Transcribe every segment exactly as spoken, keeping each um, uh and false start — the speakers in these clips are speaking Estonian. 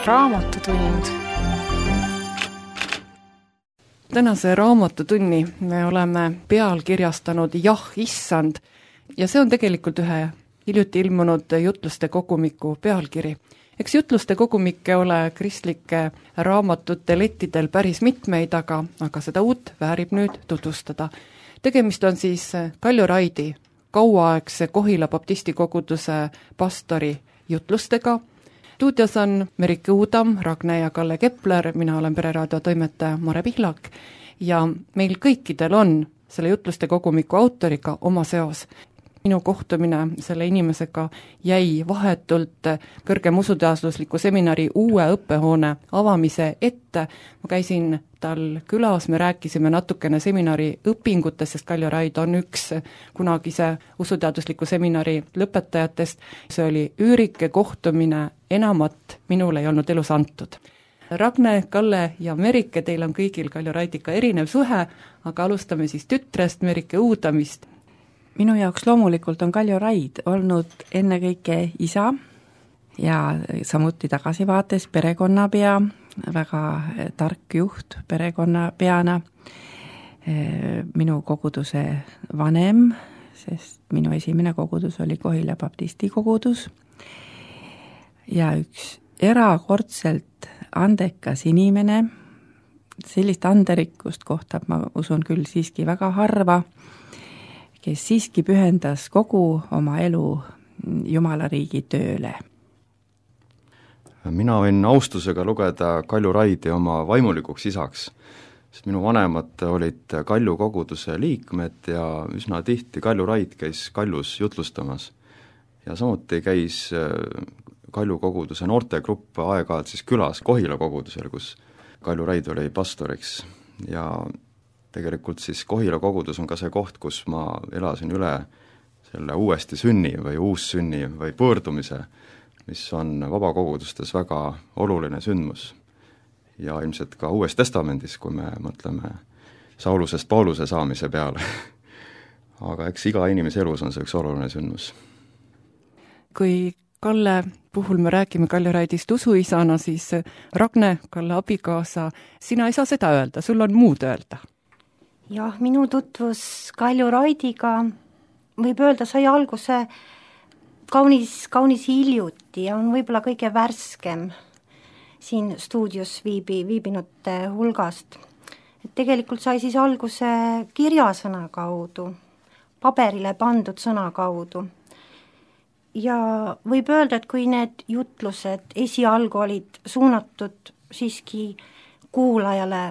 raamatutund. Tänase raamatutunni me oleme pealkirjastanud Jah, issand, ja see on tegelikult ühe hiljuti ilmunud jutluste kogumiku pealkiri. Eks jutluste kogumikke ole kristlike raamatute lettidel päris mitmeid, aga, aga seda uut väärib nüüd tutvustada. Tegemist on siis Kaljo Raidi, kauaaegse Kohila baptisti koguduse pastori jutlustega. Stuudios on Merike Uudam, Ragne ja Kalle Kepler, mina olen Pereraadio toimetaja Mare Pihlak ja meil kõikidel on selle jutluste kogumiku autoriga oma seos. Minu kohtumine selle inimesega jäi vahetult kõrgem usuteadusliku seminari uue õppehoone avamise ette. Ma käisin tal külas, me rääkisime natukene seminari õpingutest, sest Kaljo Raid on üks kunagise usuteadusliku seminari lõpetajatest. See oli üürike kohtumine, enamat minul ei olnud elus antud. Ragne, Kalle ja Merike, teil on kõigil Kaljo Raidiga erinev suhe, aga alustame siis tütrest Merike Uudamist. Minu jaoks loomulikult on Kaljo Raid olnud ennekõike isa ja samuti tagasivaates perekonnapea, väga tark juht perekonnapeana, minu koguduse vanem, sest minu esimene kogudus oli Kohila baptisti kogudus ja üks erakordselt andekas inimene, sellist anderikkust kohtab, ma usun küll siiski väga harva, kes siiski pühendas kogu oma elu Jumalariigi tööle. Mina võin austusega lugeda Kaljo Raidi oma vaimulikuks isaks, sest minu vanemad olid Kalju koguduse liikmed ja üsna tihti Kaljo Raid käis Kaljus jutlustamas. Ja samuti käis Kalju koguduse noortegrupp aeg-ajalt siis külas Kohila kogudusel, kus Kaljo Raid oli pastoriks ja tegelikult siis Kohila kogudus on ka see koht, kus ma elasin üle selle uuesti sünni või uussünni või pöördumise, mis on vabakogudustes väga oluline sündmus. Ja ilmselt ka Uues Testamendis, kui me mõtleme Saulusest Pauluse saamise peale. Aga eks iga inimese elus on see üks oluline sündmus. Kui Kalle puhul me räägime Kaljo Raidist usuisana, siis Ragne, Kalle abikaasa, sina ei saa seda öelda, sul on muud öelda. Jah, minu tutvus Kaljo Raidiga võib öelda sai alguse kaunis, kaunis hiljuti ja on võib-olla kõige värskem siin stuudios viibi, viibinute hulgast. Et tegelikult sai siis alguse kirjasõna kaudu, paberile pandud sõna kaudu. Ja võib öelda, et kui need jutlused esialgu olid suunatud siiski kuulajale,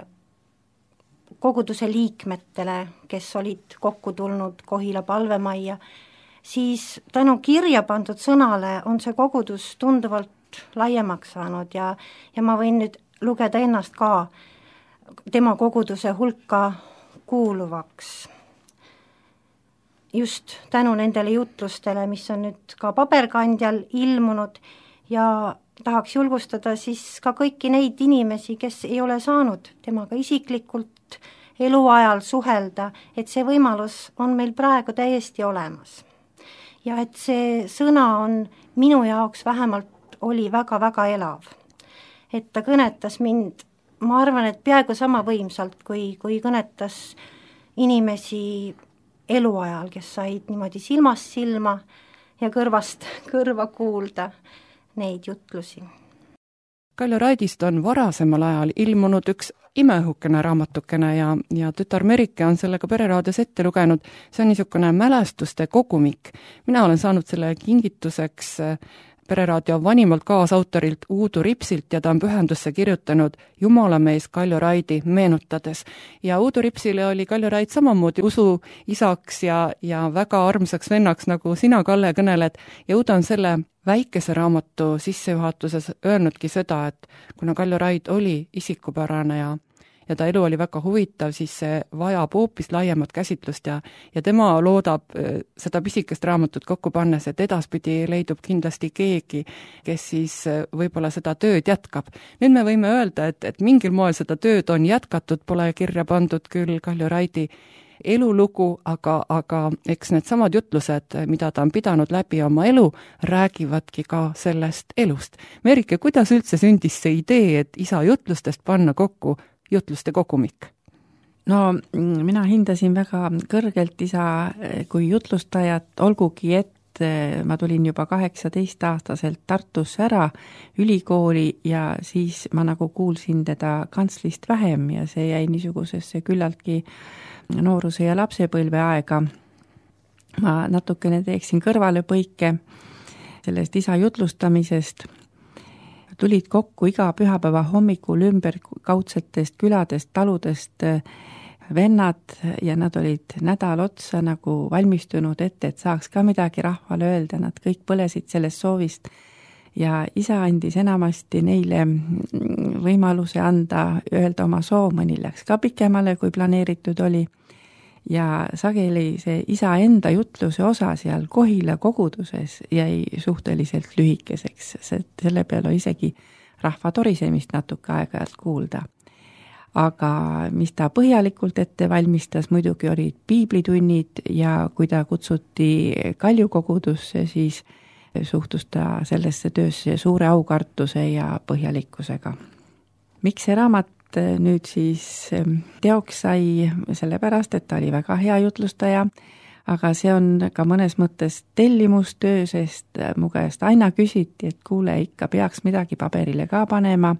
koguduse liikmetele, kes olid kokku tulnud Kohila palvemajja, siis tänu kirja pandud sõnale on see kogudus tunduvalt laiemaks saanud ja, ja ma võin nüüd lugeda ennast ka tema koguduse hulka kuuluvaks. Just tänu nendele jutlustele, mis on nüüd ka paberkandjal ilmunud ja tahaks julgustada siis ka kõiki neid inimesi, kes ei ole saanud temaga isiklikult eluajal suhelda, et see võimalus on meil praegu täiesti olemas. Ja et see sõna on minu jaoks vähemalt oli väga-väga elav. Et ta kõnetas mind, ma arvan, et peaaegu sama võimsalt, kui, kui kõnetas inimesi eluajal, kes said niimoodi silmast silma ja kõrvast kõrva kuulda neid jutlusi. Kaljo Raidist on varasemal ajal ilmunud üks imeõhukene raamatukene ja, ja tütar Merike on sellega Pereraadios ette lugenud. See on niisugune mälestuste kogumik. Mina olen saanud selle kingituseks Pereraadio vanimalt kaasautorilt Uudu Ripsilt ja ta on pühendusse kirjutanud Jumalamees Kaljo Raidi meenutades. Ja Uudu Ripsile oli Kaljo Raid samamoodi usu isaks ja, ja väga armsaks vennaks, nagu sina, Kalle, kõneled. Ja Uudu on selle väikese raamatu sissejuhatuses öelnudki seda, et kuna Kaljo Raid oli isikupärane ja ja ta elu oli väga huvitav, siis see vajab hoopis laiemat käsitlust ja, ja tema loodab seda pisikest raamatut kokku pannes, et edaspidi leidub kindlasti keegi, kes siis võib-olla seda tööd jätkab. Nüüd me võime öelda, et, et mingil moel seda tööd on jätkatud, pole kirja pandud küll Kaljo Raidi elulugu, aga, aga eks need samad jutlused, mida ta on pidanud läbi oma elu, räägivadki ka sellest elust. Merike, kuidas üldse sündis see idee, et isa jutlustest panna kokku jutluste kogumik? No mina hindasin väga kõrgelt isa kui jutlustajat, olgugi et ma tulin juba kaheksateist-aastaselt Tartusse ära ülikooli ja siis ma nagu kuulsin teda kantslist vähem ja see jäi niisugusesse küllaltki nooruse ja lapsepõlve aega. Ma natukene teeksin kõrvalepõike sellest isa jutlustamisest. Tulid kokku iga pühapäeva hommikul ümber kaudsetest küladest, taludest vennad ja nad olid nädal otsa nagu valmistunud ette, et saaks ka midagi rahvale öelda, nad kõik põlesid sellest soovist ja isa andis enamasti neile võimaluse anda, öelda oma soov, mõni läks ka pikemale, kui planeeritud oli ja sageli see isa enda jutluse osa seal Kohila koguduses jäi suhteliselt lühikeseks, selle peale isegi rahva torisemist natuke aeg-ajalt kuulda. Aga mis ta põhjalikult ette valmistas, muidugi olid piiblitunnid ja kui ta kutsuti Kalju kogudusse, siis suhtus ta sellesse töösse suure aukartuse ja põhjalikkusega. Miks see raamat nüüd siis teoks sai? Sellepärast, et ta oli väga hea jutlustaja, aga see on ka mõnes mõttes tellimustöö, sest mu käest aina küsiti, et kuule, ikka peaks midagi paberile ka panema.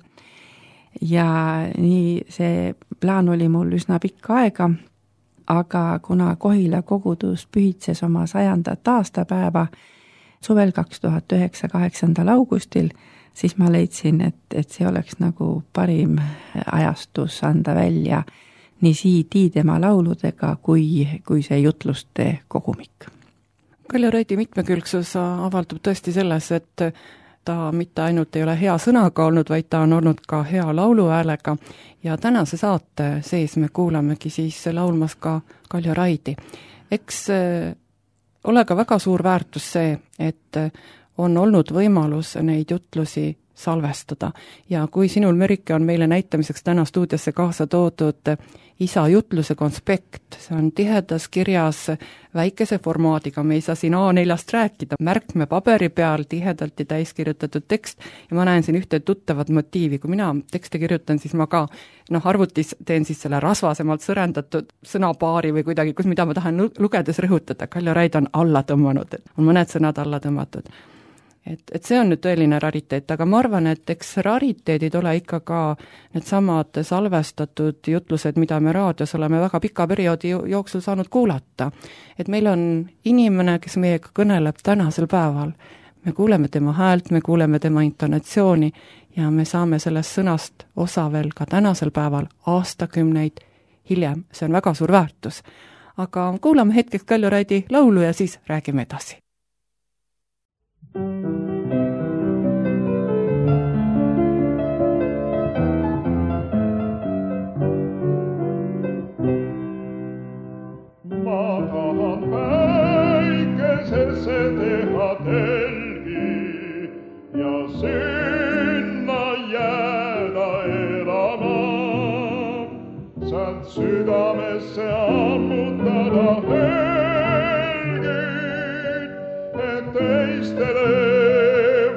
Ja nii see plaan oli mul üsna pikka aega, aga kuna Kohila kogudus pühitses oma sajandat aastapäeva suvel kaks tuhat üheksa kaheksandal augustil, siis ma leidsin, et, et see oleks nagu parim ajastus anda välja nii siidi tema lauludega kui, kui see jutluste kogumik. Kaljo Raidi mitmekülgsus avaldub tõesti selles, et ta mitte ainult ei ole hea sõnaga olnud, vaid ta on olnud ka hea lauluhäälega ja tänase saate sees me kuulamegi siis laulmas ka Kaljo Raidi. Eks ole ka väga suur väärtus see, et on olnud võimalus neid jutlusi salvestada ja kui sinul, Merike, on meile näitamiseks täna stuudiosse kaasa toodud isa jutluse konspekt, see on tihedas kirjas väikese formaadiga, me ei saa siin A neljast rääkida, märkme paberi peal tihedalt ja täiskirjutatud tekst ja ma näen siin ühte tuttavat motiivi, kui mina tekste kirjutan, siis ma ka noh, arvutis teen siis selle rasvasemalt sõrendatud sõnapaari või kuidagi, kus mida ma tahan lugedes rõhutada, Kaljo Raid on alla tõmmanud, on mõned sõnad alla tõmmatud. Et, et see on nüüd tõeline rariteet, aga ma arvan, et eks rariteedid ole ikka ka need samad salvestatud jutlused, mida me raadios oleme väga pika perioodi jooksul saanud kuulata. Et meil on inimene, kes meiega kõneleb tänasel päeval. Me kuuleme tema häält, me kuuleme tema intonatsiooni ja me saame sellest sõnast osa veel ka tänasel päeval aastakümneid hiljem. See on väga suur väärtus. Aga kuulame hetkeks Kaljo Raidi laulu ja siis räägime edasi. Teha telgi ja sinna jääda elama, saad südamesse ammutada helgid, et teistele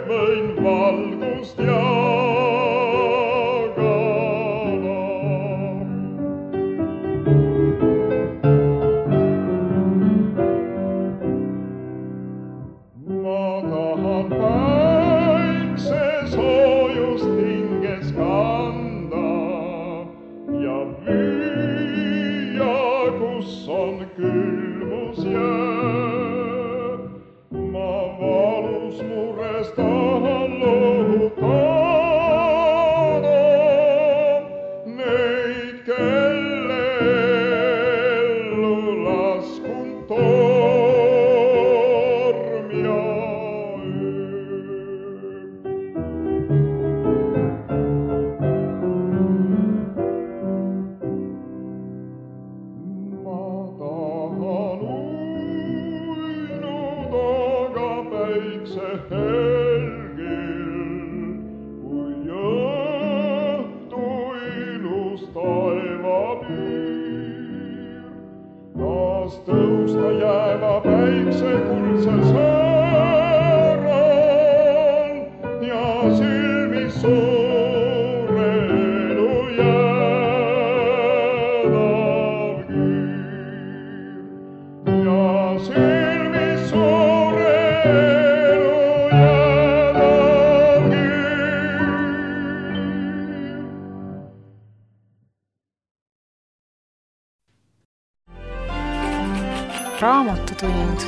võin valgust jagada. taas tõusta jääva päikse kuldsel sääral ja silmis suure elu jäädav küür ja silmis suure elu jäädav küür. Raamatutund.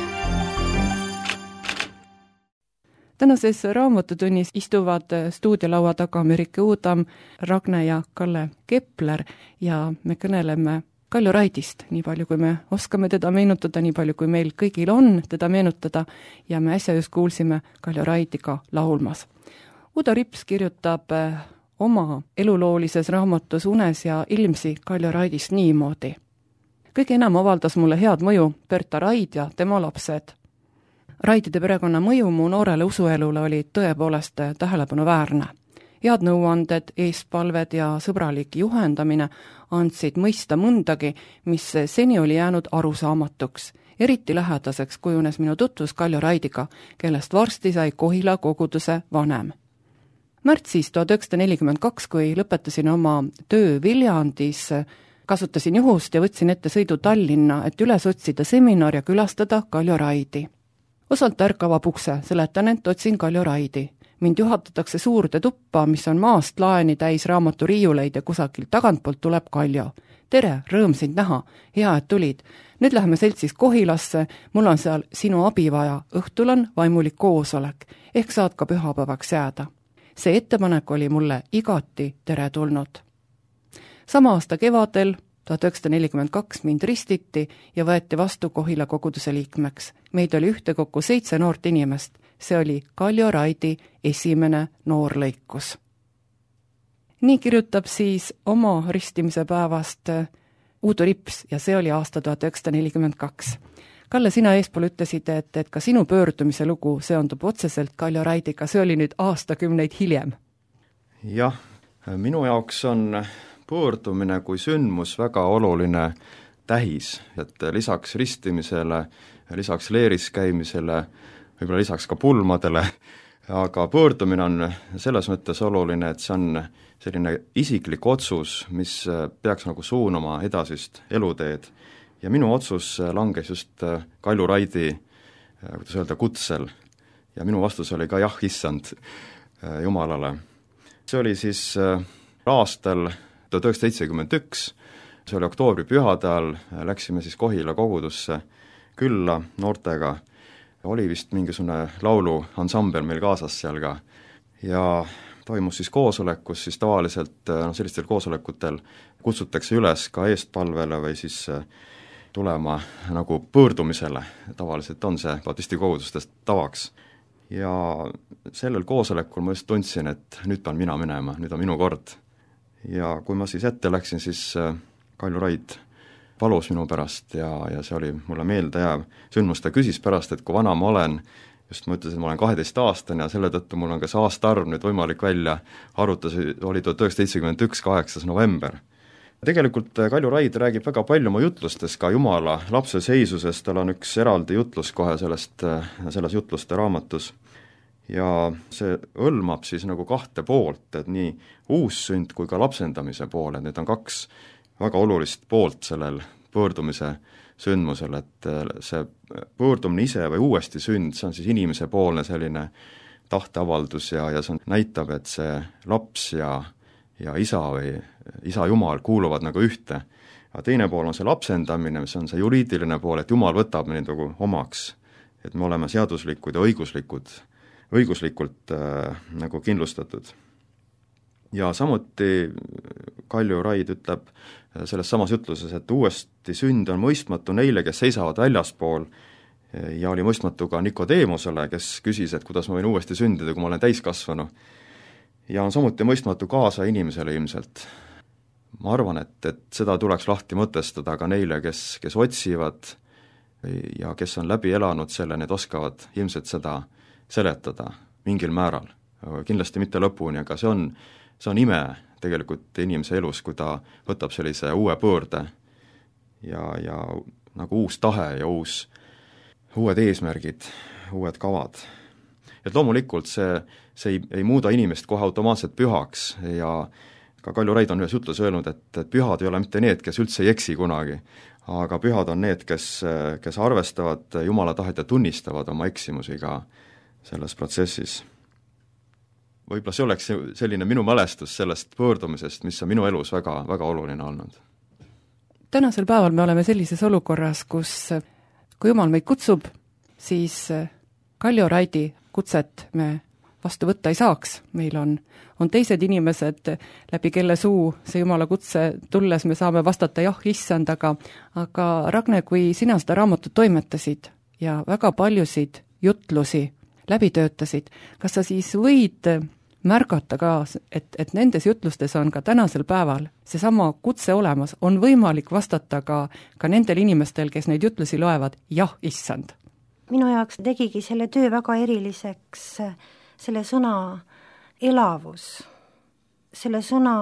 Tänases raamatutunnis istuvad stuudiolaua taga Merike Uudam, Ragne ja Kalle Kepler ja me kõneleme Kaljo Raidist, nii palju kui me oskame teda meenutada, nii palju kui meil kõigil on teda meenutada ja me äsja just kuulsime Kaljo Raidiga laulmas. Udo Rips kirjutab oma eluloolises raamatus Unes ja ilmsi Kaljo Raidist niimoodi. Kõige enam avaldas mulle head mõju Berta Raid ja tema lapsed. Raidide perekonna mõju mu noorele usuelule oli tõepoolest tähelepanuväärne. Head nõuanded, eespalved ja sõbralik juhendamine andsid mõista mõndagi, mis seni oli jäänud arusaamatuks. Eriti lähedaseks kujunes minu tutvus Kaljo Raidiga, kellest varsti sai Kohila koguduse vanem. Märtsis tuhat üheksasada nelikümmend kaks, kui lõpetasin oma töö Viljandis, kasutasin juhust ja võtsin ette sõidu Tallinna, et üles otsida seminar ja külastada Kaljo Raidi. Osalt ärk avab ukse, seletan, et otsin Kaljo Raidi. Mind juhatatakse suurde tuppa, mis on maast laeni täis raamaturiiuleid ja kusagilt tagantpoolt tuleb Kaljo. Tere, rõõm sind näha, hea, et tulid. Nüüd läheme seltsis Kohilasse, mul on seal sinu abi vaja, õhtul on vaimulik koosolek, ehk saad ka pühapäevaks jääda. See ettepanek oli mulle igati teretulnud. Sama aasta kevadel, tuhat üheksasada nelikümmend kaks, mind ristiti ja võeti vastu Kohila koguduse liikmeks. Meid oli ühtekokku seitse noort inimest. See oli Kaljo Raidi esimene noorlõikus. Nii kirjutab siis oma ristimise päevast Udo Rips ja see oli aasta tuhat üheksasada nelikümmend kaks. Kalle, sina eespool ütlesid, et, et ka sinu pöördumise lugu seondub otseselt Kaljo Raidiga, see oli nüüd aastakümneid hiljem. Jah, minu jaoks on pöördumine kui sündmus väga oluline tähis, et lisaks ristimisele, lisaks leeris käimisele, võib-olla lisaks ka pulmadele, aga pöördumine on selles mõttes oluline, et see on selline isiklik otsus, mis peaks nagu suunama edasist eluteed. Ja minu otsus langes just Kaljo Raidi, kuidas öelda, kutsel. Ja minu vastus oli ka jah, issand Jumalale. See oli siis aastal tuhat üheksasada seitsekümmend üks, see oli oktoobri pühade ajal, läksime siis Kohila kogudusse külla noortega. Oli vist mingisugune laulu ansambel meil kaasas seal ka. Ja toimus siis koosolek, kus siis tavaliselt no, sellistel koosolekutel kutsutakse üles ka eestpalvele või siis tulema nagu pöördumisele. Tavaliselt on see baptisti kogudustest tavaks. Ja sellel koosolekul ma just tundsin, et nüüd pean mina minema, nüüd on minu kord. Ja kui ma siis ette läksin, siis Kaljo Raid palus minu pärast ja, ja see oli mulle meelde jääv sündmus. Ta küsis pärast, et kui vana ma olen, just ma ütlesin, et ma olen kaheteist aastane ja selle tõttu mul on ka see aastaarv nüüd võimalik välja arvutas, oli tuhat üheksasada seitsekümmend üks, kaheksas november. Tegelikult Kaljo Raid räägib väga palju oma jutlustes ka Jumala lapse seisusest, tal on üks eraldi jutlus kohe sellest, selles jutluste raamatus. Ja see hõlmab siis nagu kahte poolt, et nii uussünd kui ka lapsendamise poole, need on kaks väga olulist poolt sellel pöördumise sündmusel, et see pöördumine ise või uuesti sünd, see on siis inimese poolne selline tahteavaldus ja, ja see näitab, et see laps ja, ja isa või isa Jumal kuuluvad nagu ühte. Ja teine pool on see lapsendamine, mis on see juriidiline pool, et Jumal võtab meid nagu omaks, et me oleme seaduslikud ja õiguslikud õiguslikult äh, nagu kindlustatud. Ja samuti Kaljo Raid ütleb selles samas jutluses, et uuesti sünd on mõistmatu neile, kes seisavad väljaspool ja oli mõistmatu ka Nikodeemusele, kes küsis, et kuidas ma võin uuesti sündida, kui ma olen täiskasvanu. Ja on samuti mõistmatu kaasa inimesele ilmselt. Ma arvan, et, et seda tuleks lahti mõtestada ka neile, kes, kes otsivad ja kes on läbi elanud selle, need oskavad ilmselt seda seletada mingil määral, kindlasti mitte lõpuni, aga see on, see on ime tegelikult inimese elus, kui ta võtab sellise uue pöörde ja, ja nagu uus tahe ja uus, uued eesmärgid, uued kavad. et loomulikult see, see ei, ei muuda inimest kohe automaatselt pühaks ja ka Kalju Raid on ühes jutlus öelnud, et, et pühad ei ole mitte need, kes üldse ei eksi kunagi, aga pühad on need, kes, kes arvestavad Jumala tahet ja tunnistavad oma eksimusi ka selles protsessis. Võib-olla see oleks selline minu mälestus sellest pöördumisest, mis on minu elus väga, väga oluline olnud. Tänasel päeval me oleme sellises olukorras, kus kui Jumal meid kutsub, siis Kalju Raidi kutset me vastu võtta ei saaks. Meil on, on teised inimesed, läbi kelle suu see Jumala kutse tulles me saame vastata jah, issand, aga, aga Ragne, kui sina seda raamatut toimetasid ja väga paljusid jutlusi läbi töötasid, kas sa siis võid märgata ka, et, et nendes jutlustes on ka tänasel päeval seesama kutse olemas, on võimalik vastata ka, ka nendel inimestel, kes neid jutlusi loevad, jah, issand? Minu jaoks tegigi selle töö väga eriliseks selle sõna elavus, selle sõna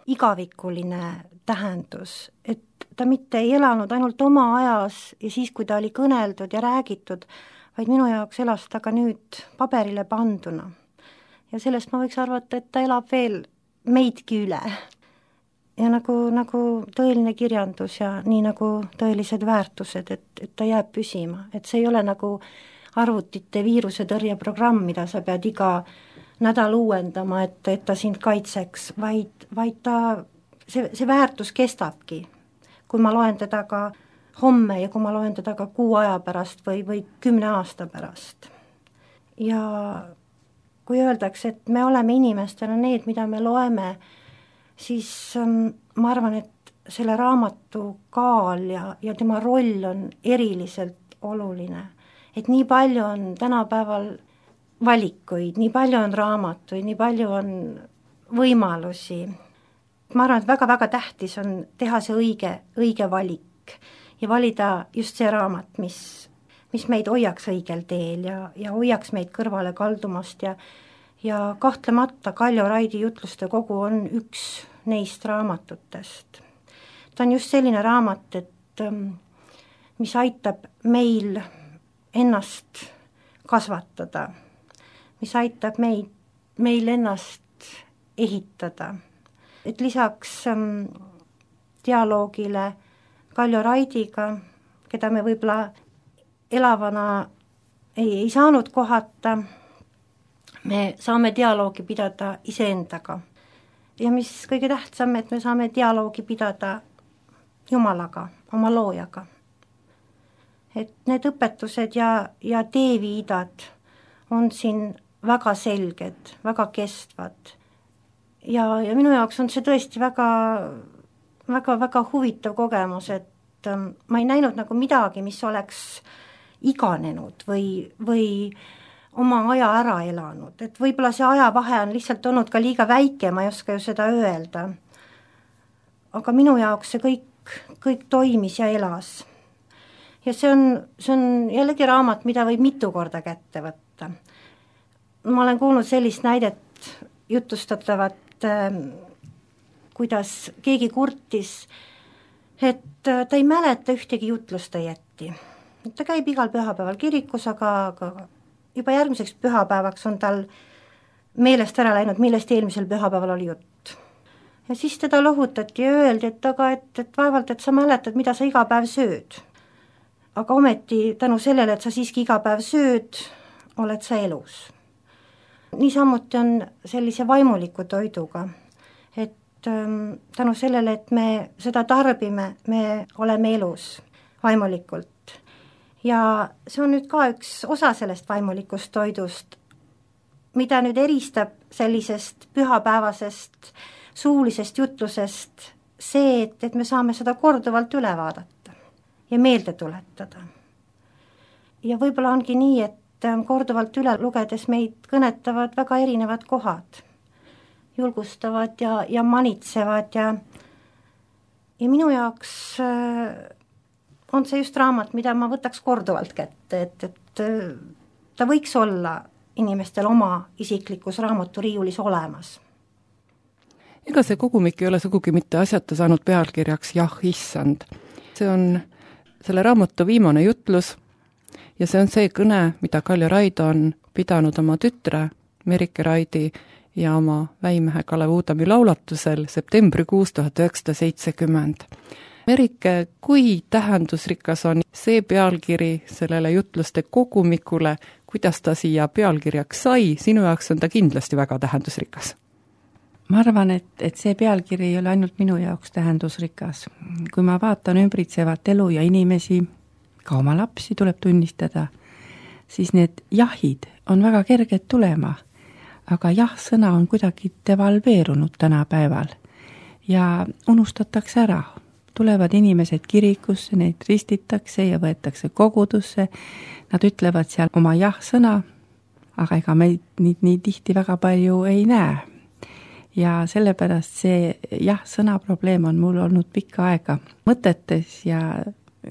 igavikuline tähendus, et ta mitte ei elanud ainult oma ajas ja siis, kui ta oli kõneldud ja räägitud, vaid minu jaoks elas ta ka nüüd paberile panduna. Ja sellest ma võiks arvata, et ta elab veel meidki üle. Ja nagu, nagu tõeline kirjandus ja nii nagu tõelised väärtused, et, et ta jääb püsima. Et see ei ole nagu arvutite viirusetõrjeprogramm, mida sa pead iga nädal uuendama, et, et ta sind kaitseks, vaid, vaid ta, see, see väärtus kestabki. Kui ma loen teda ka homme ja kui ma loen teda ka kuu aja pärast või, või kümne aasta pärast. Ja kui öeldakse, et me oleme inimestena need, mida me loeme, siis ähm, ma arvan, et selle raamatu kaal ja, ja tema roll on eriliselt oluline. Et nii palju on tänapäeval valikuid, nii palju on raamatuid, nii palju on võimalusi. Ma arvan, et väga-väga tähtis on teha see õige, õige valik ja valida just see raamat, mis, mis meid hoiaks õigel teel ja, ja hoiaks meid kõrvale kaldumast ja, ja kahtlemata Kalju Raidi jutluste kogu on üks neist raamatutest. Ta on just selline raamat, et mis aitab meil ennast kasvatada, mis aitab meid, meil ennast ehitada. Et lisaks ähm, dialoogile Kalju Raidiga, keda me võib-olla elavana ei, ei saanud kohata, me saame dialoogi pidada iseendaga. Ja mis kõige tähtsam, et me saame dialoogi pidada Jumalaga, oma loojaga. Et need õpetused ja, ja teeviidad on siin väga selged, väga kestvad. Ja, ja minu jaoks on see tõesti väga, väga, väga huvitav kogemus, et ähm, ma ei näinud nagu midagi, mis oleks iganenud või, või oma aja ära elanud, et võib-olla see ajavahe on lihtsalt olnud ka liiga väike, ma ei oska ju seda öelda. Aga minu jaoks see kõik, kõik toimis ja elas. Ja see on, see on jällegi raamat, mida võib mitu korda kätte võtta. Ma olen kuulnud sellist näidet jutustatavat, kuidas keegi kurtis, et ta ei mäleta ühtegi jutlust ta jätti. Ta käib igal pühapäeval kirikus, aga, aga juba järgmiseks pühapäevaks on tal meelest ära läinud, millest eelmisel pühapäeval oli jutt. Ja siis teda lohutati ja öeldi, et aga et, et vaevalt, et sa mäletad, mida sa iga päev sööd. Aga ometi tänu sellele, et sa siiski iga päev sööd, oled sa elus. Niisamuti on sellise vaimuliku toiduga, et ähm, tänu sellele, et me seda tarbime, me oleme elus vaimulikult. Ja see on nüüd ka üks osa sellest vaimulikust toidust, mida nüüd eristab sellisest pühapäevasest suulisest jutlusest see, et, et me saame seda korduvalt üle vaadata ja meelde tuletada. Ja võib-olla ongi nii, et korduvalt üle lugedes meid kõnetavad väga erinevad kohad, julgustavad ja, ja manitsevad ja, ja minu jaoks on see just raamat, mida ma võtaks korduvalt kätte, et, et ta võiks olla inimestel oma isiklikus raamaturiiulis olemas. Ega see kogumik ei ole sugugi mitte asjata saanud pealkirjaks jah, issand. See on selle raamatu viimane jutlus ja see on see kõne, mida Kaljo Raid on pidanud oma tütre Merike Raidi ja oma väimehe Kalev Uudami laulatusel septembrikuus tuhat üheksasada seitsekümmend. Merike, kui tähendusrikas on see pealkiri sellele jutluste kogumikule, kuidas ta siia pealkirjaks sai, sinu jaoks on ta kindlasti väga tähendusrikas? Ma arvan, et, et see pealkiri ei ole ainult minu jaoks tähendusrikas. Kui ma vaatan ümbritsevat elu ja inimesi, ka oma lapsi tuleb tunnistada, siis need jahid on väga kerged tulema, aga jah-sõna on kuidagi devalveerunud tänapäeval ja unustatakse ära. Tulevad inimesed kirikusse, neid ristitakse ja võetakse kogudusse, nad ütlevad seal oma jah-sõna, aga ega meid nii, nii tihti väga palju ei näe. Ja sellepärast see jah-sõna probleem on mul olnud pikka aega mõtetes ja,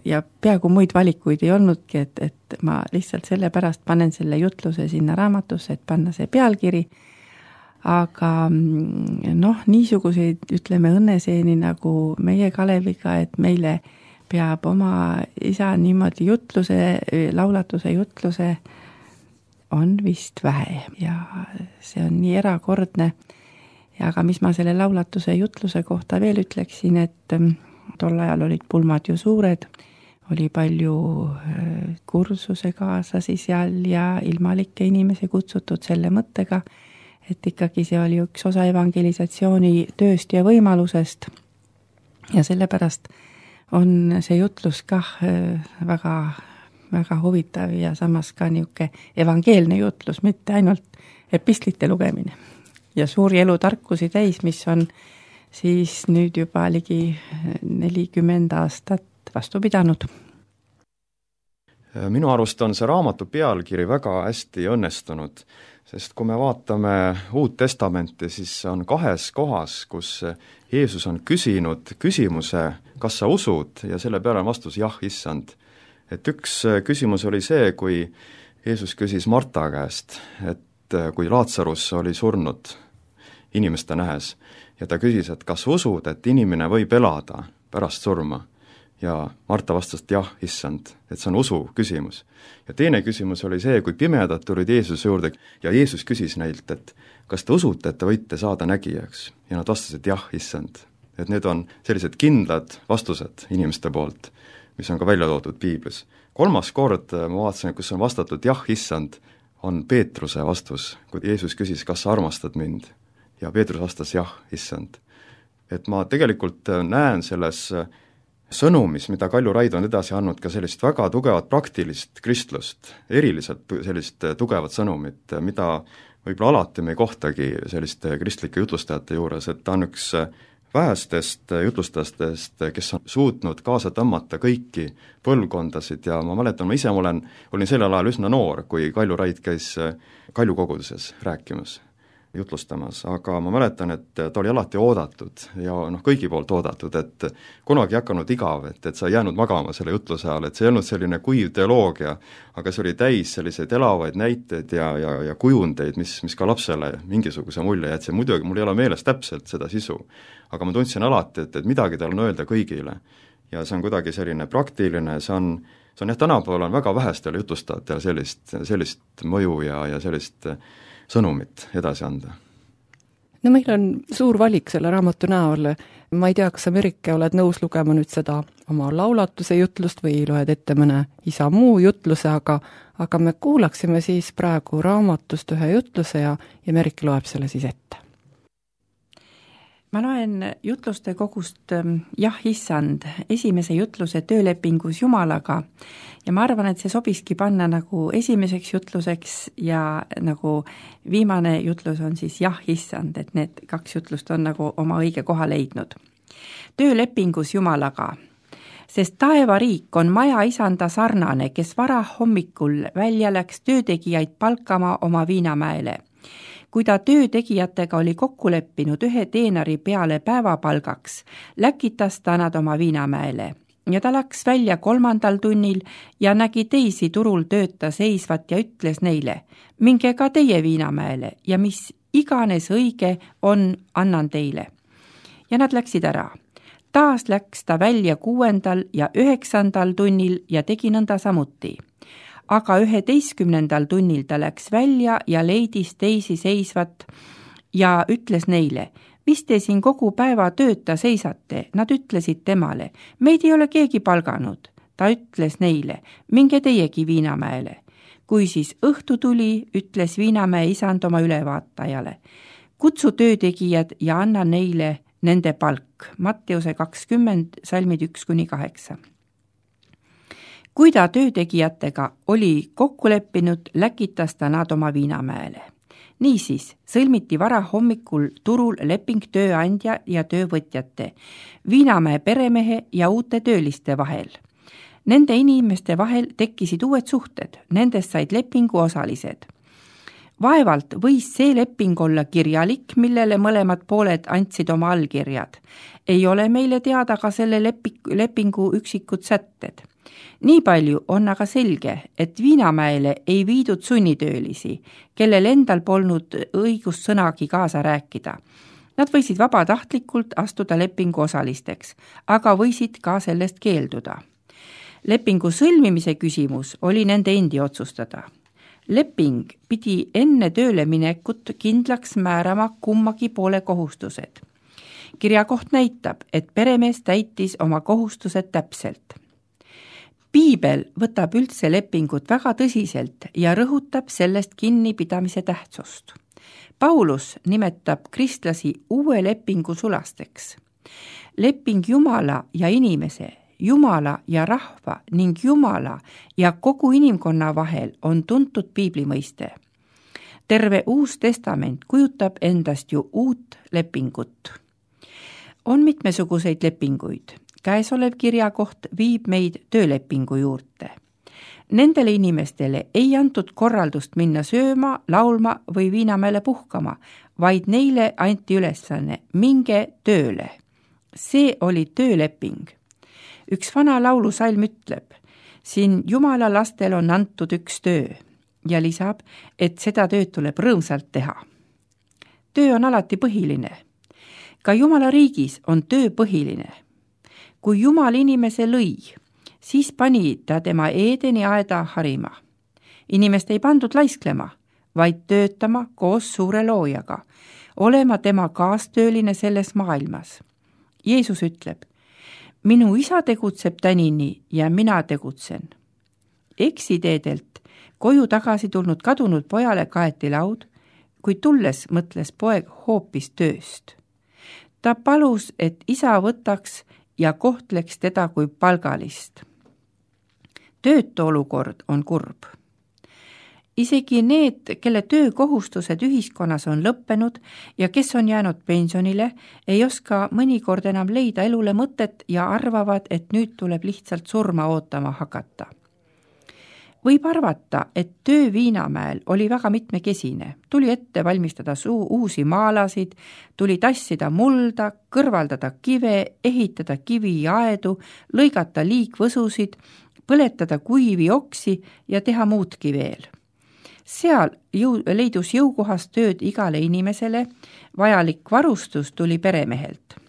ja peaaegu muid valikuid ei olnudki, et, et ma lihtsalt sellepärast panen selle jutluse sinna raamatusse, et panna see pealkiri, aga noh, niisuguseid, ütleme, õnneseeni nagu meie Kaleviga, et meile peab oma isa niimoodi jutluse, laulatuse jutluse on vist vähe ja see on nii erakordne. Ja aga mis ma selle laulatuse jutluse kohta veel ütleksin, et tol ajal olid pulmad ju suured, oli palju kursuse kaasasi seal ja ilmalikke inimesi kutsutud selle mõttega, et ikkagi see oli üks osa evangelisatsiooni tööst ja võimalusest ja sellepärast on see jutlus kah väga, väga huvitav ja samas ka niuke evangeelne jutlus, mitte ainult epistlite lugemine. Ja suuri elutarkusi täis, mis on siis nüüd juba ligi nelikümmend aastat vastu pidanud. Minu arust on see raamatu pealkiri väga hästi õnnestunud, sest kui me vaatame Uut Testamenti, siis on kahes kohas, kus Jeesus on küsinud küsimuse, kas sa usud, ja selle peale on vastus jah, issand. Et üks küsimus oli see, kui Jeesus küsis Marta käest, et kui Laatsarus oli surnud inimeste nähes ja ta küsis, et kas usud, et inimene võib elada pärast surma ja Marta vastas, et jah, issand, et see on usu küsimus. Ja teine küsimus oli see, kui pimedad tulid Jeesuse juurde ja Jeesus küsis neilt, et kas te usute, et te võite saada nägijaks ja nad vastasid jah, issand. Et need on sellised kindlad vastused inimeste poolt, mis on ka välja toodud Piiblis. Kolmas kord ma vaatasin, kus on vastatud jah, issand, on Peetruse vastus, kui Jeesus küsis, kas sa armastad mind, ja Peetrus vastas jah, issand. Et ma tegelikult näen selles sõnumis, mida Kalju Raid on edasi andnud, ka sellist väga tugevat praktilist kristlust, eriliselt sellist tugevat sõnumit, mida võib-olla alati me ei kohtagi selliste kristlike jutlustajate juures, et ta on üks vähestest jutlustajatest, kes on suutnud kaasa tõmmata kõiki põlvkondasid ja ma mäletan, ma ise olen, olin sellel ajal üsna noor, kui Kalju Raid käis Kalju koguduses rääkimas, jutlustamas, aga ma mäletan, et ta oli alati oodatud ja noh, kõigi poolt oodatud, et kunagi ei hakanud igav, et, et sa ei jäänud magama selle jutluse ajal, et see ei olnud selline kuiv teoloogia, aga see oli täis selliseid elavaid näiteid ja, ja, ja kujundeid, mis, mis ka lapsele mingisuguse mulje jätsi, muidugi mul ei ole meeles täpselt seda sisu, aga ma tundsin alati, et, et midagi tal on öelda kõigile ja see on kuidagi selline praktiline, see on, see on jah, tänapäeval on väga vähestel jutlustajatel sellist, sellist mõju ja, ja sellist sõnumit edasi anda. No meil on suur valik selle raamatu näol. Ma ei tea, kas sa, Merike, oled nõus lugema nüüd seda oma laulatuse jutlust või loed ette mõne isa muu jutluse, aga, aga me kuulaksime siis praegu raamatust ühe jutluse ja, ja Merike loeb selle siis ette. Ma loen jutluste kogust Jah, issand, esimese jutluse töölepingus Jumalaga ja ma arvan, et see sobiski panna nagu esimeseks jutluseks ja nagu viimane jutlus on siis Jah, issand, et need kaks jutlust on nagu oma õige koha leidnud. Töölepingus Jumalaga, sest taevariik on maja isanda sarnane, kes vara hommikul välja läks töötegijaid palkama oma Viinamäele. Kui ta töötegijatega oli kokku leppinud ühe teenari peale päevapalgaks, läkitas ta nad oma Viinamäele ja ta läks välja kolmandal tunnil ja nägi teisi turul tööta seisvat ja ütles neile, minge ka teie Viinamäele ja mis iganes õige on, annan teile. Ja nad läksid ära. taas läks ta välja kuuendal ja üheksandal tunnil ja tegi nõnda samuti. Aga üheteistkümnendal tunnil ta läks välja ja leidis teisi seisvat ja ütles neile: mis te siin kogu päeva tööta seisate? Nad ütlesid temale: meid ei ole keegi palganud. Ta ütles neile: minge teiegi Viinamäele. Kui siis õhtu tuli, ütles Viinamäe isand oma ülevaatajale: kutsu töötegijad ja anna neile nende palk. Matteuse kakskümmend, salmid üks kuni kaheksa. Kui ta töötegijatega oli kokku leppinud, läkitas ta nad oma Viinamäele. Niisiis sõlmiti vara hommikul turul leping tööandja ja töövõtjate, Viinamäe peremehe ja uute tööliste vahel. Nende inimeste vahel tekkisid uued suhted, nendest said lepingu osalised. Vaevalt võis see leping olla kirjalik, millele mõlemad pooled andsid oma allkirjad. Ei ole meile teada ka selle lepingu üksikud sätted. Nii palju on aga selge, et Viinamäele ei viidud sunnitöölisi, kellel endal polnud õigust sõnagi kaasa rääkida. Nad võisid vabatahtlikult astuda lepingu osalisteks, aga võisid ka sellest keelduda. Lepingu sõlmimise küsimus oli nende endi otsustada. Leping pidi enne tööle minekut kindlaks määrama kummagi poole kohustused. Kirjakoht näitab, et peremees täitis oma kohustused täpselt. Piibel võtab üldse lepingut väga tõsiselt ja rõhutab sellest kinnipidamise tähtsust. Paulus nimetab kristlasi uue lepingu sulasteks. Leping Jumala ja inimese, Jumala ja rahva ning Jumala ja kogu inimkonna vahel on tuntud piibli mõiste. Terve Uus Testament kujutab endast ju uut lepingut. On mitmesuguseid lepinguid. Käesolev kirjakoht viib meid töölepingu juurde. Nendele inimestele ei antud korraldust minna sööma, laulma või Viinamäele puhkama, vaid neile anti ülesanne: minge tööle. See oli tööleping. Üks vana laulusalm ütleb: siin Jumala lastel on antud üks töö, ja lisab, et seda tööd tuleb rõõmsalt teha. Töö on alati põhiline. Ka Jumala riigis on töö põhiline. Kui Jumal inimese lõi, siis pani ta tema Eedeni aeda harima. Inimest ei pandud laisklema, vaid töötama koos suure loojaga, olema tema kaastööline selles maailmas. Jeesus ütleb: minu isa tegutseb tänini ja mina tegutsen. Eksiteedelt koju tagasi tulnud kadunud pojale kaeti laud, kui tulles mõtles poeg hoopis tööst. Ta palus, et isa võtaks ja kohtleks teda kui palgalist. Töötu olukord on kurb. Isegi need, kelle töökohustused ühiskonnas on lõppenud ja kes on jäänud pensionile, ei oska mõnikord enam leida elule mõtet ja arvavad, et nüüd tuleb lihtsalt surma ootama hakata. Võib arvata, et töö Viinamäel oli väga mitmekesine. Tuli ette valmistada suu uusi maalasid, tuli tassida mulda, kõrvaldada kive, ehitada kiviaedu, lõigata liikvõsusid, põletada kuivi oksi ja teha muudki veel. Seal jõu, leidus jõukohast tööd igale inimesele, vajalik varustus tuli peremehelt.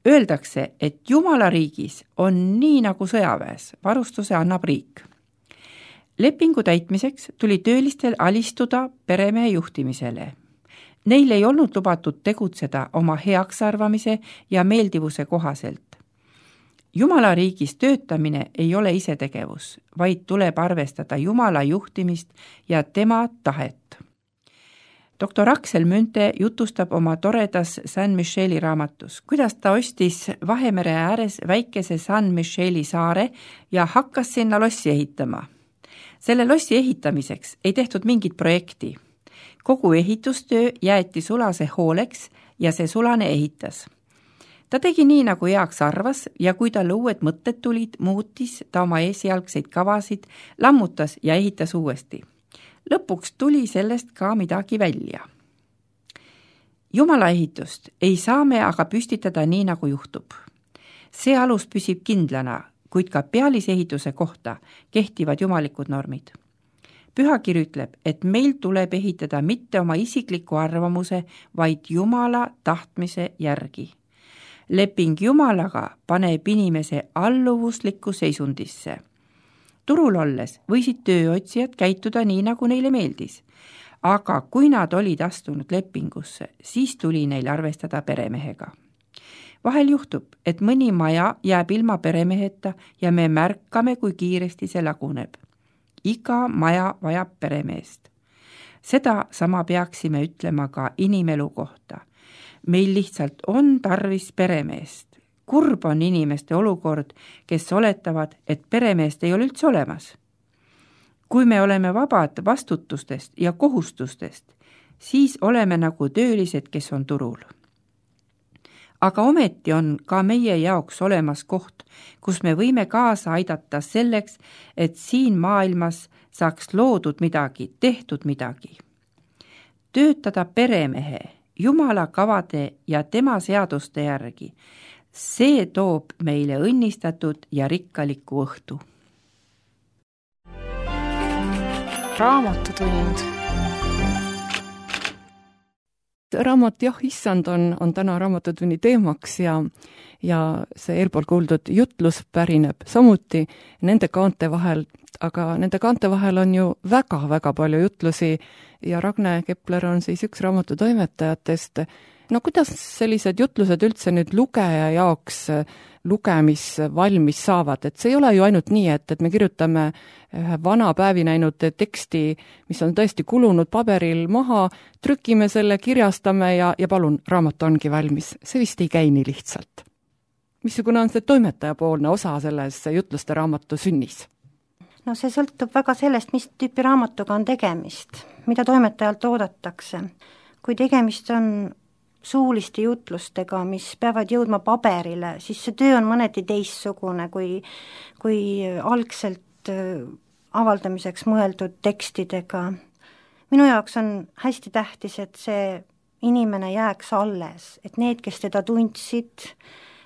Öeldakse, et Jumala riigis on nii nagu sõjaväes, varustuse annab riik. Lepingu täitmiseks tuli töölistel alistuda peremehe juhtimisele. Neil ei olnud lubatud tegutseda oma heaksarvamise ja meeldivuse kohaselt. Jumala riigis töötamine ei ole isetegevus, vaid tuleb arvestada Jumala juhtimist ja tema tahet. doktor Aksel Münte jutustab oma toredas San Micheli raamatus, kuidas ta ostis Vahemere ääres väikese San Micheli saare ja hakkas sinna lossi ehitama. Selle lossi ehitamiseks ei tehtud mingit projekti. Kogu ehitustöö jäeti sulase hooleks ja see sulane ehitas. Ta tegi nii, nagu heaks arvas ja kui talle uued mõtted tulid, muutis ta oma esialgseid kavasid, lammutas ja ehitas uuesti. Lõpuks tuli sellest ka midagi välja. Jumala ehitust ei saa me aga püstitada nii, nagu juhtub. See alus püsib kindlana, kuid ka pealisehituse kohta kehtivad jumalikud normid. Pühakiri ütleb, et meil tuleb ehitada mitte oma isikliku arvamuse, vaid Jumala tahtmise järgi. leping Jumalaga paneb inimese alluvuslikku seisundisse. Turul olles võisid tööotsijad käituda nii, nagu neile meeldis, aga kui nad olid astunud lepingusse, siis tuli neil arvestada peremehega. Vahel juhtub, et mõni maja jääb ilma peremeheta ja me märkame, kui kiiresti see laguneb. Iga maja vajab peremeest. Seda sama peaksime ütlema ka inimelu kohta. Meil lihtsalt on tarvis peremeest. Kurb on inimeste olukord, kes oletavad, et peremeest ei ole üldse olemas. Kui me oleme vabad vastutustest ja kohustustest, siis oleme nagu töölised, kes on turul. Aga ometi on ka meie jaoks olemas koht, kus me võime kaasa aidata selleks, et siin maailmas saaks loodud midagi, tehtud midagi. Töötada peremehe, Jumala kavade ja tema seaduste järgi, see toob meile õnnistatud ja rikkaliku õhtu. Raamatutund. Raamat Jah, issand on, on täna raamatutunni teemaks ja, ja see eelpool kuuldud jutlus pärineb samuti nende kaante vahel, aga nende kaante vahel on ju väga-väga palju jutlusi ja Ragne Kepler on siis üks raamatu toimetajatest. No kuidas sellised jutlused üldse nüüd lugeja jaoks lugemis valmis saavad, et see ei ole ju ainult nii, et, et me kirjutame ühe vana päevi näinud teksti, mis on tõesti kulunud paberil maha, trükime selle, kirjastame ja, ja palun, raamat ongi valmis. See vist ei käi nii lihtsalt. Missugune on see toimetajapoolne osa selles jutluste raamatu sünnis? No see sõltub väga sellest, mis tüüpi raamatuga on tegemist, mida toimetajalt oodatakse. Kui tegemist on suuliste jutlustega, mis peavad jõudma paberile, siis see töö on mõneti teissugune kui, kui algselt avaldamiseks mõeldud tekstidega. Minu jaoks on hästi tähtis, et see inimene jääks alles, et need, kes teda tundsid,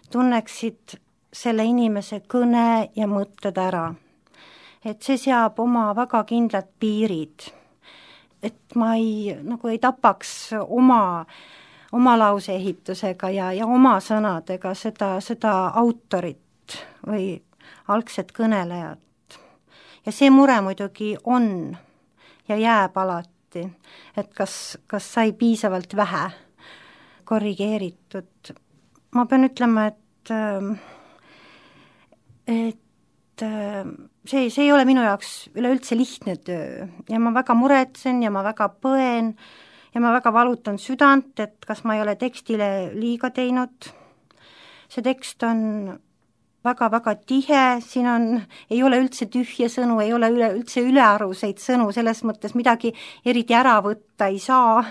tunneksid selle inimese kõne ja mõtted ära. Et see seab oma väga kindlad piirid, et ma ei, nagu ei tapaks oma oma lause ehitusega ja, ja oma sõnadega seda, seda autorit või algset kõnelejat. Ja see mure muidugi on ja jääb alati, et kas, kas sai piisavalt vähe korrigeeritud. Ma pean ütlema, et, et see, see ei ole minu jaoks üleüldse lihtne töö ja ma väga muretsen ja ma väga põen ja ma väga valutan südant, et kas ma ei ole tekstile liiga teinud. See tekst on väga-väga tihe, siin on, ei ole üldse tühje sõnu, ei ole üle, üldse ülearuseid sõnu, selles mõttes midagi eriti ära võtta ei saa.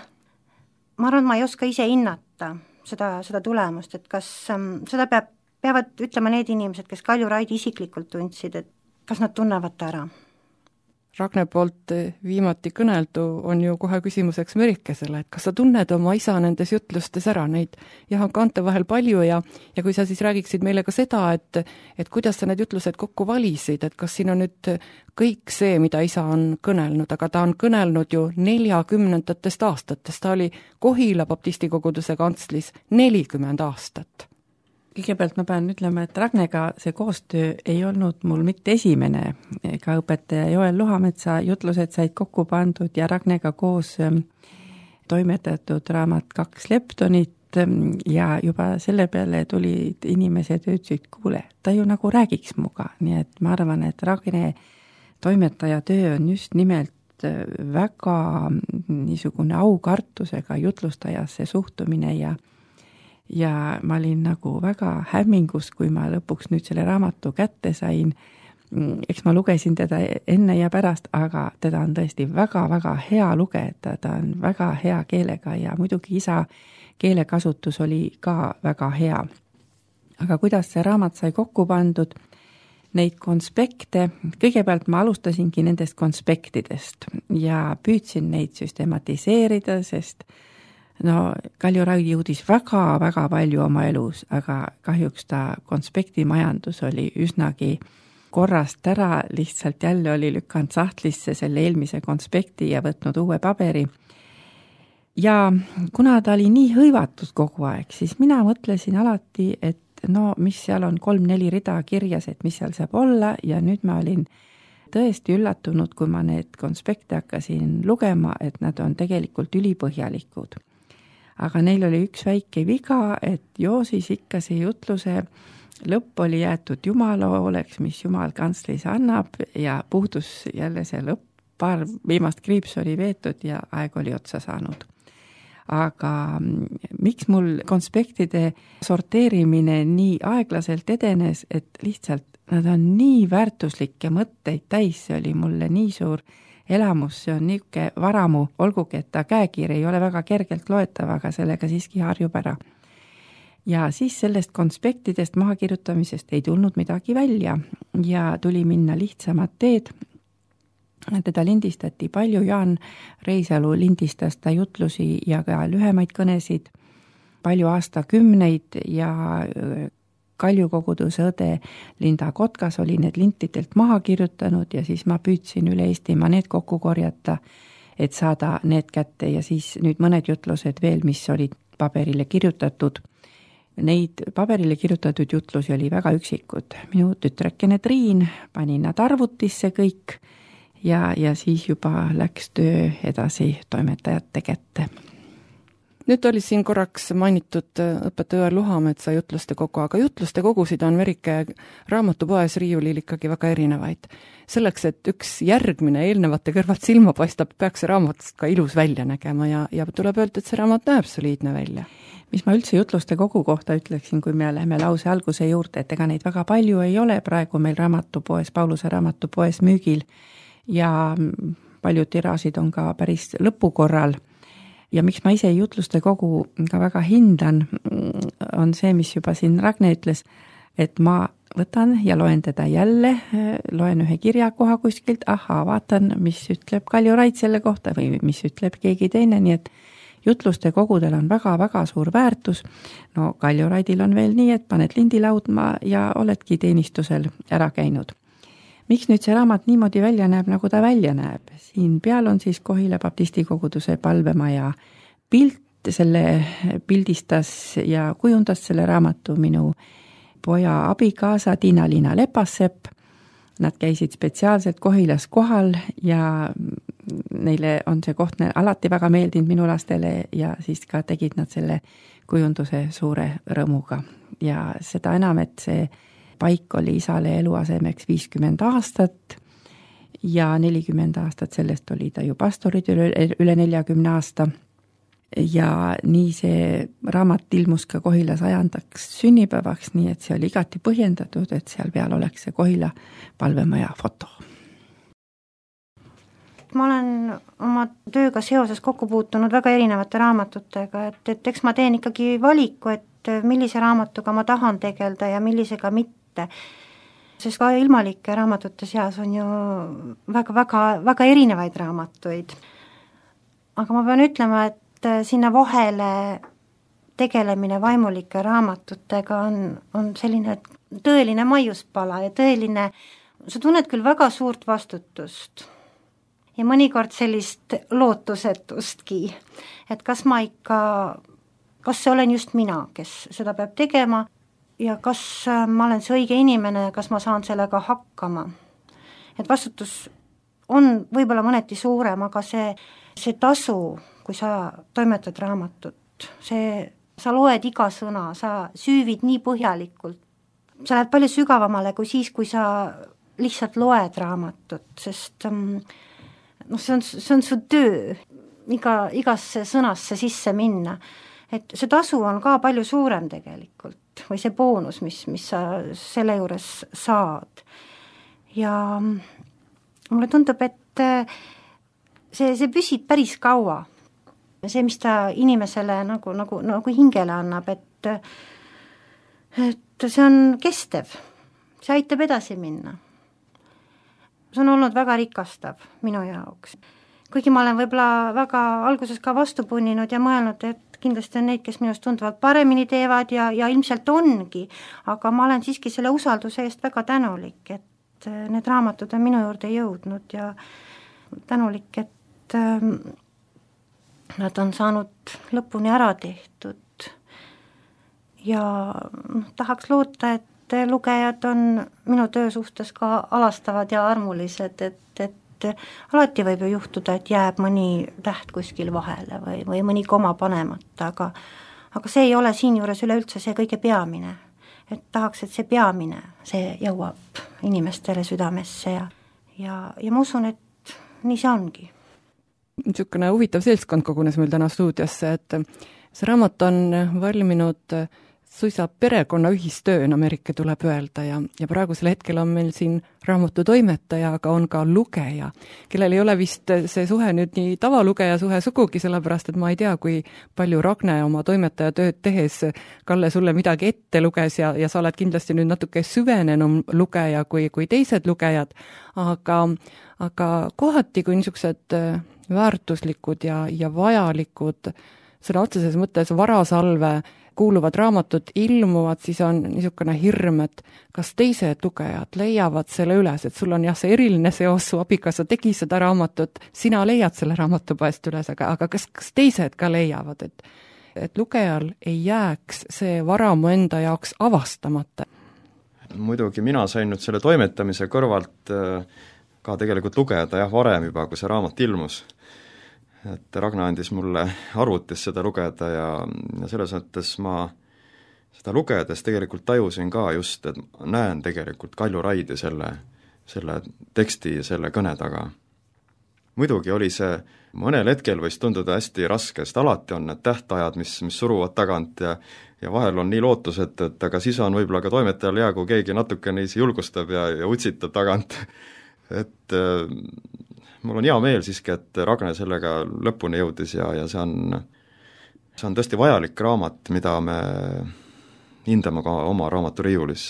Ma arvan, ma ei oska ise hinnata seda, seda tulemust, et kas seda peab, peavad ütlema need inimesed, kes Kalju Raidi isiklikult tundsid, et kas nad tunnevad ta ära. Ragne poolt viimati kõneldu on ju kohe küsimuseks Merikesele, et kas sa tunned oma isa nendes jutlustes ära, neid jah, on kaante vahel palju ja, ja kui sa siis räägiksid meile ka seda, et, et kuidas sa need jutlused kokku valisid, et kas siin on nüüd kõik see, mida isa on kõnelnud, aga ta on kõnelnud ju neljakümnendatest aastatest, ta oli Kohila baptistikoguduse kantslis nelikümmend aastat. Kõigepealt ma pean ütlema, et Ragnega see koostöö ei olnud mul mitte esimene, ega õpetaja Joel Luhametsa jutlused said kokku pandud ja Ragnega koos toimetatud raamat Kaks leptonit ja juba selle peale tulid inimesed ja ütlesid, kuule, ta ju nagu räägiks muga, nii et ma arvan, et Ragne toimetaja töö on just nimelt väga niisugune aukartusega jutlustajasse suhtumine ja ja ma olin nagu väga hämmingus, kui ma lõpuks nüüd selle raamatu kätte sain. Eks ma lugesin teda enne ja pärast, aga teda on tõesti väga-väga hea lugeda, ta on väga hea keelega ja muidugi isa keelekasutus oli ka väga hea. Aga kuidas see raamat sai kokku pandud, neid konspekte, kõigepealt ma alustasingi nendest konspektidest ja püüdsin neid süstematiseerida, sest no Kalju Raid jõudis väga-väga palju oma elus, aga kahjuks ta konspektimajandus oli üsnagi korrast ära, lihtsalt jälle oli lükanud sahtlisse selle eelmise konspekti ja võtnud uue paberi. ja kuna ta oli nii hõivatud kogu aeg, siis mina mõtlesin alati, et no mis seal on kolm-neli rida kirjas, et mis seal saab olla ja nüüd ma olin tõesti üllatunud, kui ma need konspekte hakkasin lugema, et nad on tegelikult ülipõhjalikud. Aga neil oli üks väike viga, et joo siis ikka see jutluse lõpp oli jäetud Jumala hooleks, mis Jumal kantslis annab ja puudus jälle see lõpp, paar viimast kriips oli veetud ja aeg oli otsa saanud. Aga miks mul konspektide sorteerimine nii aeglaselt edenes, et lihtsalt nad on nii väärtuslikke mõtteid täis, see oli mulle nii suur elamus, see on niisugune varamu, olgugi, et ta käekiri ei ole väga kergelt loetav, aga sellega siiski harjub ära. Ja siis sellest konspektidest mahakirjutamisest ei tulnud midagi välja ja tuli minna lihtsamad teed. Teda lindistati palju, Jaan Reisalu lindistas ta jutlusi ja ka lühemaid kõnesid, palju aastakümneid ja Kalju koguduse õde Linda Kotkas oli need lintidelt maha kirjutanud ja siis ma püüdsin üle Eestimaa need kokku korjata, et saada need kätte ja siis nüüd mõned jutlused veel, mis olid paberile kirjutatud. Neid paberile kirjutatud jutlusi oli väga üksikud. Minu tütrekene Triin pani nad arvutisse kõik ja, ja siis juba läks töö edasi toimetajate kätte. Nüüd oli siin korraks mainitud õpetaja Luhametsa jutluste kogu, aga jutluste kogusid on Verike raamatupoes riiulil ikkagi väga erinevaid. Selleks, et üks järgmine eelnevate kõrvalt silma paistab, peaks see raamatust ka ilus välja nägema ja, ja tuleb öelda, et see raamat näeb soliidne välja. Mis ma üldse jutluste kogu kohta ütleksin, kui me läheme lause alguse juurde, et ega neid väga palju ei ole praegu meil raamatupoes, Pauluse raamatupoes müügil ja paljud tiraasid on ka päris lõpukorral. Ja miks ma ise jutluste kogu ka väga hindan, on see, mis juba siin Ragne ütles, et ma võtan ja loen teda jälle, loen ühe kirjakoha kuskilt, ahaa, vaatan, mis ütleb Kalju Raid selle kohta või mis ütleb keegi teine, nii et jutluste kogudel on väga-väga suur väärtus. No Kalju Raidil on veel nii, et paned lindi laudma ja oledki teenistusel ära käinud. Miks nüüd see raamat niimoodi välja näeb, nagu ta välja näeb? Siin peal on siis Kohila baptisti koguduse palvemaja pilt, selle pildistas ja kujundas selle raamatu minu poja abikaasa Tiina-Liina Lepassepp. Nad käisid spetsiaalselt Kohilas kohal ja neile on see koht alati väga meeldinud minu lastele ja siis ka tegid nad selle kujunduse suure rõõmuga. Ja seda enam, et see paik oli isale eluasemeks viiskümmend aastat ja nelikümmend aastat sellest oli ta ju pastorid üle, üle neljakümne aasta. Ja nii see raamat ilmus ka Kohila sajandaks sünnipäevaks, nii et see oli igati põhjendatud, et seal peal oleks see Kohila palvemaja foto. Ma olen oma tööga seoses kokku puutunud väga erinevate raamatutega, et, et eks ma teen ikkagi valiku, et millise raamatuga ma tahan tegelda ja millisega mitte. Sest ka ilmalike raamatute seas on ju väga, väga, väga erinevaid raamatuid. Aga ma pean ütlema, et sinna vahele tegelemine vaimulike raamatutega on, on selline tõeline maiuspala ja tõeline, sa tunned küll väga suurt vastutust ja mõnikord sellist lootusetustki, et kas ma ikka, kas see olen just mina, kes seda peab tegema ja kas ma olen see õige inimene ja kas ma saan sellega hakkama. Et vastutus on võib-olla mõneti suurem, aga see, see tasu, kui sa toimetad raamatut, see, sa loed iga sõna, sa süüvid nii põhjalikult, sa lähed palju sügavamale kui siis, kui sa lihtsalt loed raamatut, sest noh, see on, see on su töö iga, igasse sõnasse sisse minna. Et see tasu on ka palju suurem tegelikult või see boonus, mis, mis sa selle juures saad. Ja mulle tundub, et see, see püsib päris kaua. See, mis ta inimesele nagu, nagu, nagu hingele annab, et, et see on kestev, see aitab edasi minna. See on olnud väga rikastav minu jaoks. Kuigi ma olen võib-olla väga alguses ka vastu punninud ja mõelnud, et kindlasti on neid, kes minust tunduvalt paremini teevad ja, ja ilmselt ongi, aga ma olen siiski selle usalduse eest väga tänulik, et need raamatud on minu juurde jõudnud ja tänulik, et nad on saanud lõpuni ära tehtud ja noh, tahaks loota, et lugejad on minu töö suhtes ka alastavad ja armulised, et, et alati võib ju juhtuda, et jääb mõni täht kuskil vahele või, või mõni koma panemata, aga aga see ei ole siinjuures üleüldse see kõige peamine. Et tahaks, et see peamine, see jõuab inimestele südamesse ja, ja, ja ma usun, et nii see ongi. Niisugune huvitav seltskond kogunes meil täna stuudiosse, et see raamat on valminud suisa perekonna ühistöön, Ameerika tuleb öelda, ja, ja praegusel hetkel on meil siin raamatu toimetaja, aga on ka lugeja, kellel ei ole vist see suhe nüüd nii tavalugeja suhe sugugi, sellepärast et ma ei tea, kui palju Ragne oma toimetaja tööd tehes Kalle sulle midagi ette luges ja, ja sa oled kindlasti nüüd natuke süvenenum lugeja kui, kui teised lugejad, aga, aga kohati, kui niisugused väärtuslikud ja, ja vajalikud sõna otseses mõttes varasalve kuuluvad raamatud ilmuvad, siis on niisugune hirm, et kas teised lugejad leiavad selle üles, et sul on jah, see eriline seos, su abikaasa tegi seda raamatut, sina leiad selle raamatupoest üles, aga, aga kas, kas teised ka leiavad, et, et lugejal ei jääks see varamu enda jaoks avastamata? Muidugi mina sain nüüd selle toimetamise kõrvalt ka tegelikult lugeda jah, varem juba, kui see raamat ilmus. Et Ragna andis mulle arvutis seda lugeda ja, ja selles mõttes ma seda lugedes tegelikult tajusin ka just, et näen tegelikult Kalju Raidi selle, selle teksti ja selle kõne taga. Muidugi oli see, mõnel hetkel võis tunduda hästi raske, sest alati on need tähtajad, mis, mis suruvad tagant ja, ja vahel on nii lootused, et aga siis on võib-olla ka toimetajal hea, kui keegi natuke neisi julgustab ja, ja utsitab tagant. et mul on hea meel siiski, et Ragne sellega lõpuni jõudis ja, ja see on, see on tõesti vajalik raamat, mida me hindame ka oma raamaturiiulis.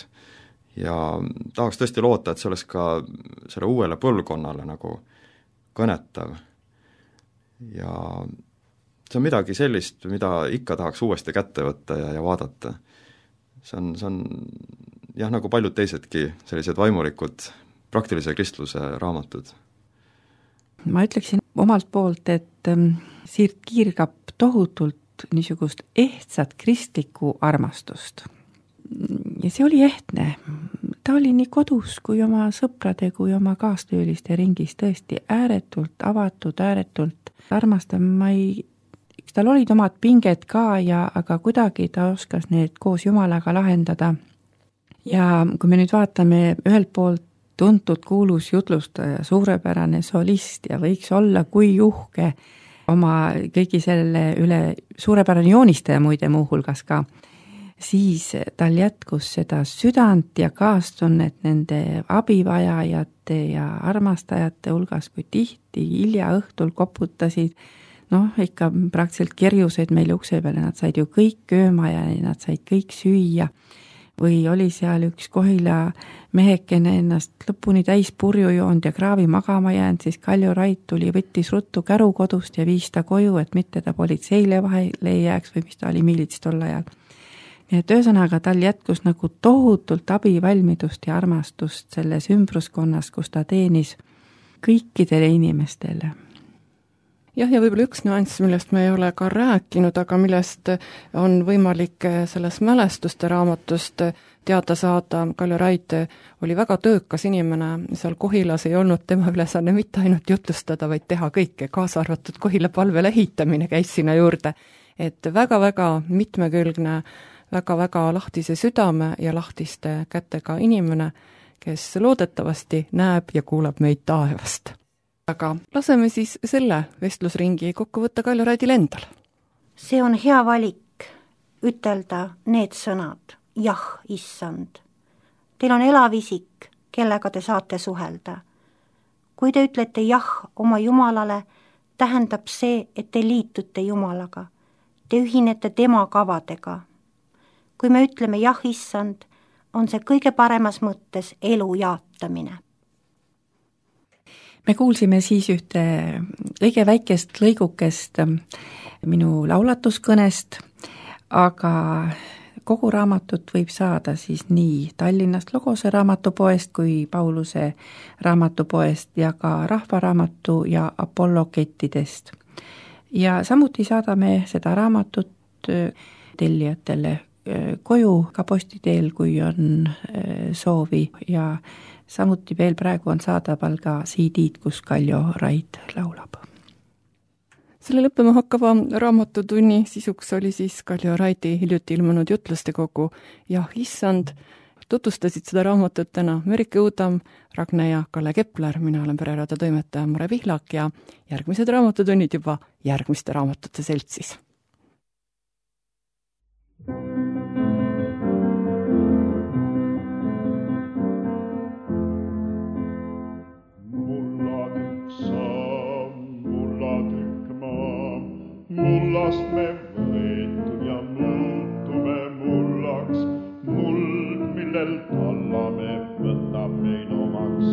Ja tahaks tõesti loota, et see oleks ka selle uuele põlvkonnale nagu kõnetav. Ja see on midagi sellist, mida ikka tahaks uuesti kätte võtta ja, ja vaadata. See on, see on jah, nagu paljud teisedki sellised vaimulikud praktilise kristluse raamatud. Ma ütleksin omalt poolt, et Sirt Kiirgap tohutult niisugust ehtsat kristlikku armastust. Ja see oli ehtne. Ta oli nii kodus kui oma sõprade, kui oma kaastööliste ringis tõesti ääretult avatud, ääretult armastav. Ma ei, tal olid omad pinged ka, ja, aga kuidagi ta oskas need koos Jumalaga lahendada. Ja kui me nüüd vaatame ühelt poolt tuntud kuulus jutlustaja, suurepärane solist ja võiks olla kui juhke oma kõigi selle üle, suurepärane joonistaja muide muuhulgas ka, siis tal jätkus seda südant ja kaastunnet nende abivajajate ja armastajate hulgas, kui tihti hilja õhtul koputasid, noh, ikka praktiliselt kerjused meil ukse peale, nad said ju kõik kööma ja nad said kõik süüa. Või oli seal üks Kohila mehekene ennast lõpuni täis purju joonud ja kraavi magama jäänud, siis Kalju Rait tuli, võttis ruttu käru kodust ja viis ta koju, et mitte ta politseile vahele ei jääks või mis ta oli miilits tol ajal. Nii et ühesõnaga tal jätkus nagu tohutult abivalmidust ja armastust selles ümbruskonnas, kus ta teenis kõikidele inimestele. Jah, ja võib-olla üks nüanss, millest me ei ole ka rääkinud, aga millest on võimalik selles mälestuste raamatust teada saada. Kalju Rait oli väga töökas inimene, seal Kohilas ei olnud tema ülesanne mitte ainult jutlustada, vaid teha kõike, kaasa arvatud Kohila palvele ehitamine käis sinna juurde. Et väga-väga mitmekülgne, väga-väga lahtise südame ja lahtiste kätega inimene, kes loodetavasti näeb ja kuulab meid taevast. Aga laseme siis selle vestlusringi kokku võtta Kalju Raidil endal. See on hea valik ütelda need sõnad, jah, issand. Teil on elav isik, kellega te saate suhelda. Kui te ütlete jah oma Jumalale, tähendab see, et te liitute Jumalaga. Te ühinete tema kavadega. Kui me ütleme jah, issand, on see kõige paremas mõttes elu jaatamine. Me kuulsime siis ühte kõige väikest lõigukest minu laulatuskõnest, aga kogu raamatut võib saada siis nii Tallinnast Logose raamatupoest kui Pauluse raamatupoest ja ka Rahvaraamatu ja Apollo kettidest. ja samuti saadame seda raamatut tellijatele koju ka posti teel, kui on soovi ja samuti veel praegu on saadaval ka C D-d, kus Kaljo Raid laulab. Selle lõppema hakkava raamatutunni sisuks oli siis Kaljo Raidi hiljuti ilmunud jutluste kogu Jah, issand. Tutvustasid seda raamatut täna Merike Uudam, Ragne ja Kalle Kepler, mina olen Pereraadio toimetaja Mare Pihlak ja järgmised raamatutunnid juba järgmiste raamatute seltsis. Mullast me võetud ja muutume mullaks, muld, millel tallame, võtab meid omaks.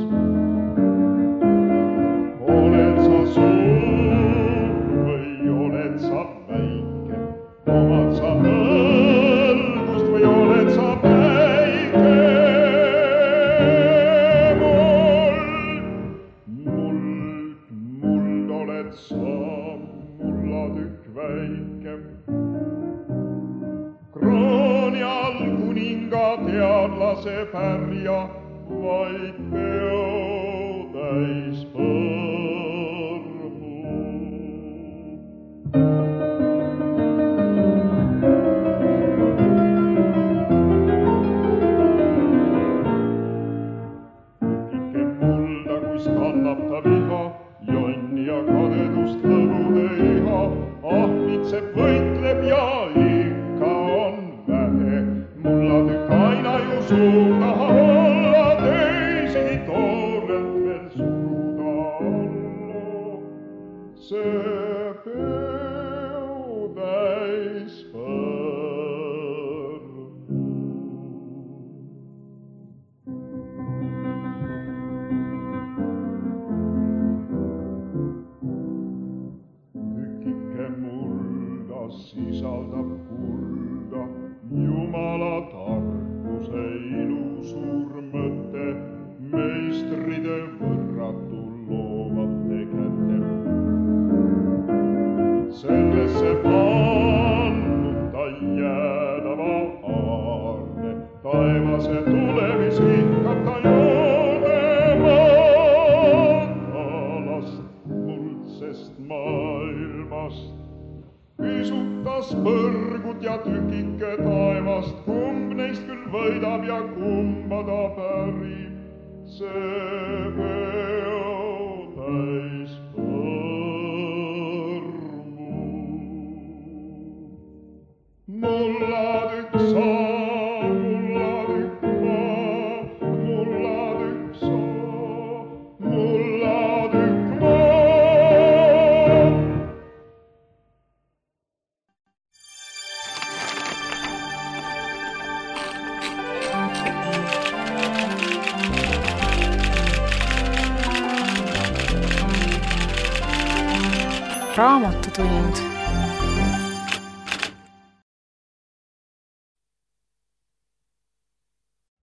Oled sa suur või oled sa väike, omad sa nõlgust või oled sa päike. Muld, muld, muld oled sa. Väike. Krooni all kuninga teadlase pärja, vaid peo täis põrmu. Tükike mulda, kus kannab ta viha, jonni ja kadedust lõbude iha. Ahmitseb võitleb ja ikka on vähe, mullatükk aina ju suur tahab olla, teisigi toorelt veel suruda alla. See peo täis põrmu. Sisaldab kulda, Jumala tarkuse ilusuur mõte, meistride võrratu loovate kätte. Sellesse pannud ta jäädava aarne, taevase tulemis vihkab ta joonema talast muldsest maailmast. Pisutas põrgut ja tükike taevast, kumb neist küll võidab ja kumba ta pärib, see peo täis põrmu. Mullatükk sa, mullatükk ma, mullatükk sa, mullatükk ma. Raamatutund